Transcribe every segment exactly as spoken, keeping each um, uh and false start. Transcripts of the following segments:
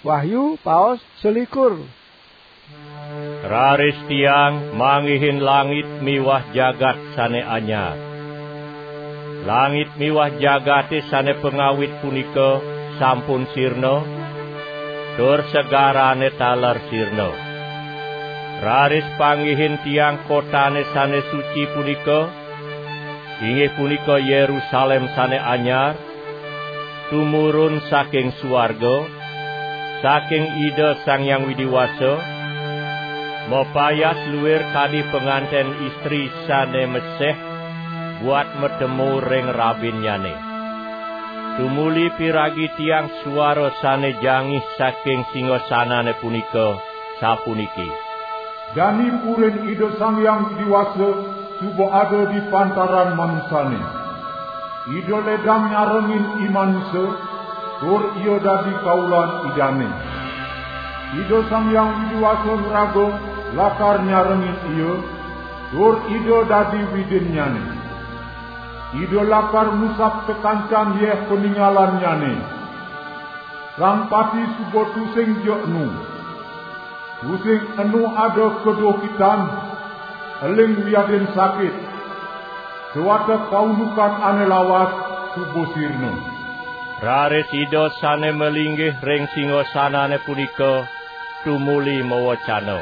Wahyu paos selikur. Raris tiang manggihin langit miwah jagat sane anyar. Langit miwah jagate sane pangawit punika sampun sirna, tur segarane taler sirna. Raris panggihin tiang kotane sane suci punika, inggih punika Yerusalem sane anyar, tumurun saking suarga, saking Ida Sang Hyang Widi Wasa, mapayas luir kadi panganten istri sane meseh buat matemu ring rabinnyane. Tumuli piragi tiang suara sane jangih saking singasanane punika, sapuniki: Jani purin Ida Sang Hyang Widi Wasa suba ada di pantaran manusane. Ida ledang nyarengin i manusa, tur ia dadi kaulan Idane. Ida Sang Hyang Widi Wasa ngraga lakar nyarengin ia, tur Ida dadi Widinnyane. Ida lakar ngusap sakancan yeh paningalannyane. Sang pati suba tusing ja enu. Tusing enu ada keduh kitan, eling wiadin sakit. Sawatek paundukan ane lawas suba sirna. Raris Ida sane malinggih ring singasanane punika tumuli mawacana: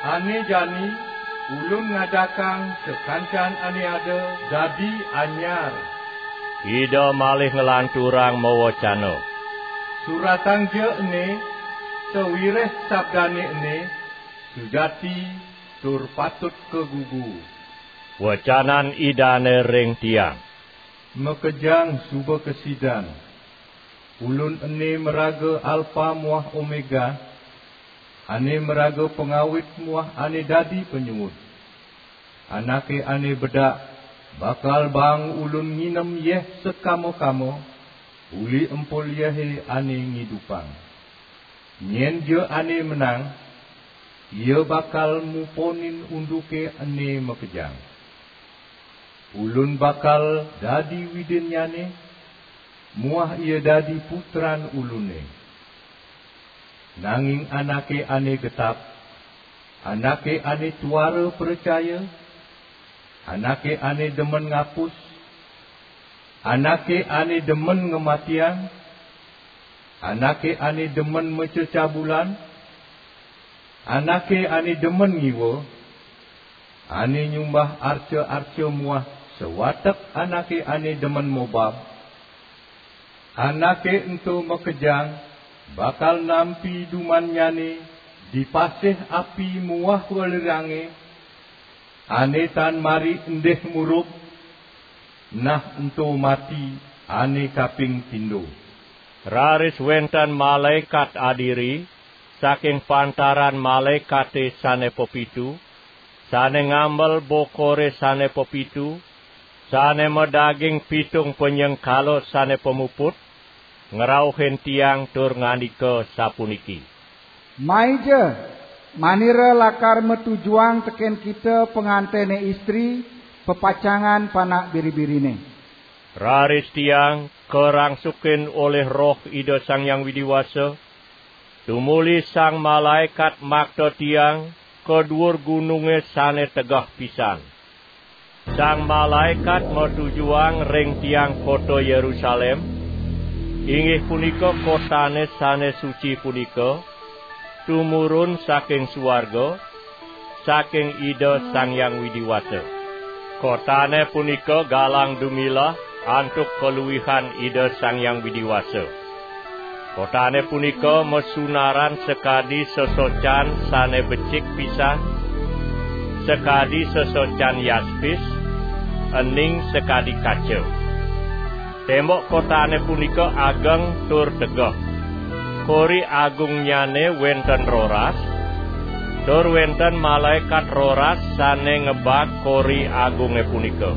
Ane jani Ulun ngadakang sakancan ane ada dadi anyar. Ida malih nglanturang mawacana: Suratang ja ene, sawireh sabdane ene sujati tur patut kagugu. Wacanan Idane ring tiang: Makejang suba kasidan. Ulun ene maraga Alpa muah Omega, ane maraga pangawit muah ane dadi panyuud. Anake ane bedak bakal baang Ulun nginem yeh sakama-kama, uli empul yehe ane ngidupang. Nyen ja ane menang, ia bakal muponin unduke ene makejang. Ulun bakal dadi Widinnyane, muah ia dadi putran Ulune. Nanging anake ane getap, anake ane tuara pracaya, anake ane demen ngapus, anake ane demen ngamatiang, anake ane demen macecabulan, anake ane demen ngiwa, ane nyumbah arca-arca muah sawatek anake ane demen mobab, anake ento makejang bakal nampi dumannyane di pasih api muah welirange, ane tan mari endih murub, nah ento mati ane kaping pindo. Raris wenten malaekat adiri saking pantaran malaekate sane pepitu, sane ngambel bokore sane pepitu, sane madaging pitung panyengkala sane pamuput, ngrauhin tiang tur ngandika sapuniki: Maija, manira lakar matujuang teken kita pangantene istri, pepacangan Panak Biri-birine. Raris tiang karangsukin olih Roh Ida Sang Hyang Widi Wasa, tumuli sang malaekat makta tiang ka duur gununge sane tegeh pisan. Sang malaekat matujuang ring tiang kota Yerusalem, inggih punika kotane sane suci punika, tumurun saking suarga, saking Ida Sang Hyang Widi Wasa. Kotane punika galang dumilah antuk kaluihan Ida Sang Hyang Widi Wasa. Kotane punika masunaran sakadi sesocan sane becik pisan, sakadi sesocan yaspis, ening sakadi kaca. Tembok kotane punika ageng tur tegeh. Kori agungnyane wenten roras, tur wenten malaekat roras sane ngebag kori agunge punika.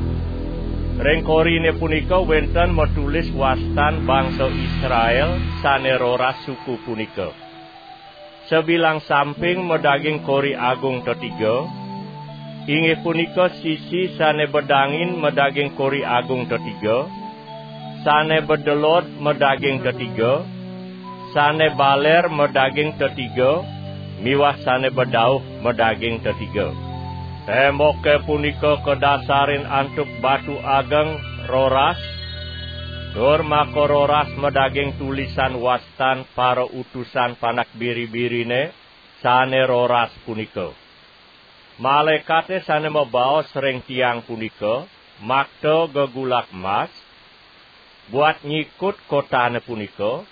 Ring korine punika wenten matulis wastan bangsa Israel sane roras suku punika. Sabilang samping madaging kori agung tetiga, inggih punika sisi sane bedangin madaging kori agung tetiga, sane bedelod madaging tetiga, sane baler madaging tetiga, miwah sane bedauh madaging tetiga. Temboke punika kadasarin antuk batu ageng roras, tur maka roras madaging tulisan wastan para utusan panak biri-birine sane roras punika. Malaekate sane mabaos ring tiang punika makta gegulak mas, buat nyikut kotane punika,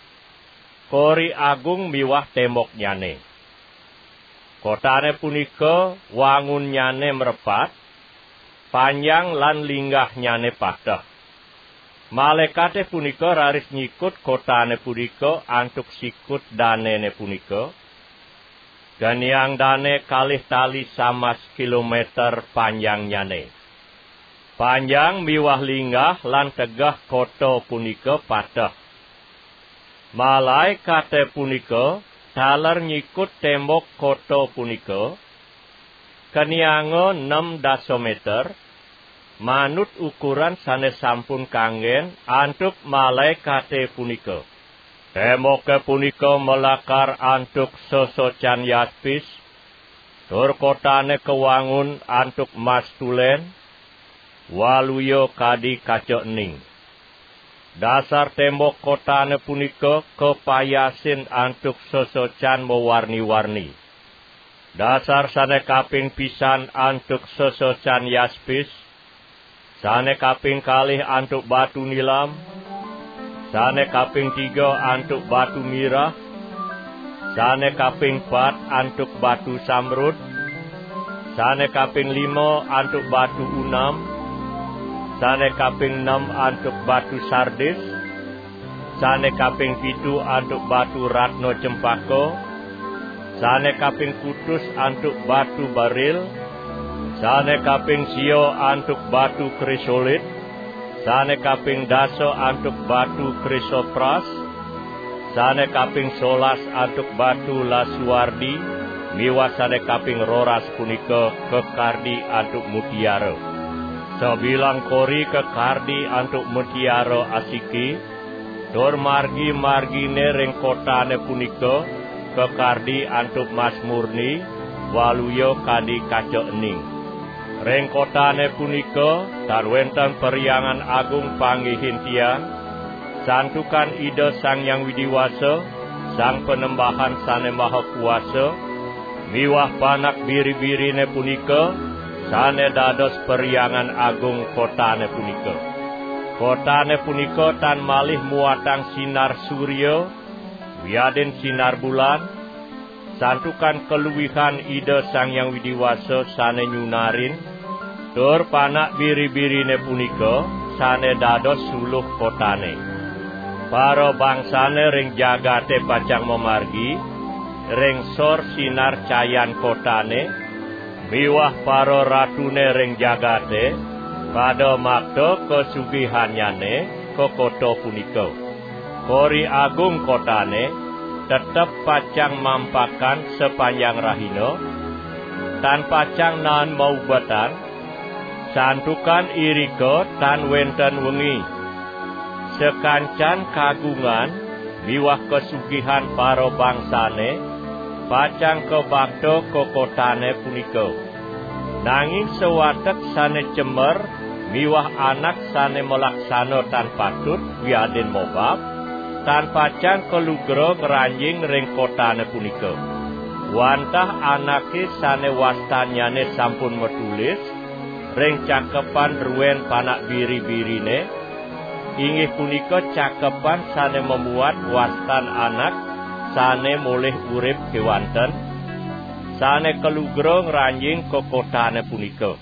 kori agung miwah temboknyane. Kotane punika wangunnyane mrepat, panjang lan linggahnyane pateh. Malaekate punika raris nyikut kotane punika antuk sikut danene punika, geniang dane kalih tali samas kilometer panjangnyane. Panjang miwah linggah lan tegeh kota punika pateh. Malaekate punika taler nyikut tembok kota punika, kenianga nem dasa meter, manut ukuran sane sampun kanggen antuk malaekate punika. Temboke punika malakar antuk sesocan yaspis, tur kotane kawangun antuk mas tulen, waluya kadi kaca ening. Dasar tembok kotane punika kapayasin antuk sesocan mawarni-warni. Dasar sane kaping pisan antuk sesocan yaspis, sane kaping kalih antuk batu nilam, sane kaping tiga antuk batu mirah, sane kaping pat antuk batu samrud, sane kaping lima antuk batu unam, sane kaping nem antuk batu sardis, sane kaping pitu antuk batu ratna cempaka, sane kaping kutus antuk batu baril, sane kaping sia antuk batu krisolit, sane kaping dasa antuk batu krisopras, sane kaping solas antuk batu lasuardi, miwah sane kaping roras punika kakardi antuk mutiara. Sabilang kori kakardi antuk mutiara asiki, tur margi-margine ring kotane punika kakardi antuk mas murni, waluya kadi kaca ening. Ring kotane punika tan wenten perhyangan agung panggihin tiang, santukan Ida Sang Hyang Widi Wasa, Sang Panembahan Sane Maha Kuasa, miwah panak biri-birine punika sane dados perhyangan agung kotane punika. Kotane punika tan malih muatang sinar surya wiadin sinar bulan, santukan kaluihan Ida Sang Hyang Widi Wasa sane nyunarin, tur panak biri-birine punika sane dados suluh kotane. Para bangsane ring jagate pacang mamargi ring sor sinar cayan kotane, miwah para ratune ring jagate pada makta kasugihannyane ka kota punika. Kori agung kotane tetep pacang mampakan sapanjang rahina, tan pacang naen maubetan, santukan irika tan wenten wengi. Sakancan kagungan miwah kasugihan para bangsane pacang kabakta ka kotane punika. Nanging sawatek sane cemer miwah anak sane malaksana tan patut wiadin mobab, tan pacang kalugra ngranjing ring kotane punika. Wantah anake sane wastannyane sampun matulis ring cakepan druen panak biri-birine, inggih punika cakepan sane mamuat wastan anak sane molih urip kewanten, sane kalugra ngranjing ka kotane punika.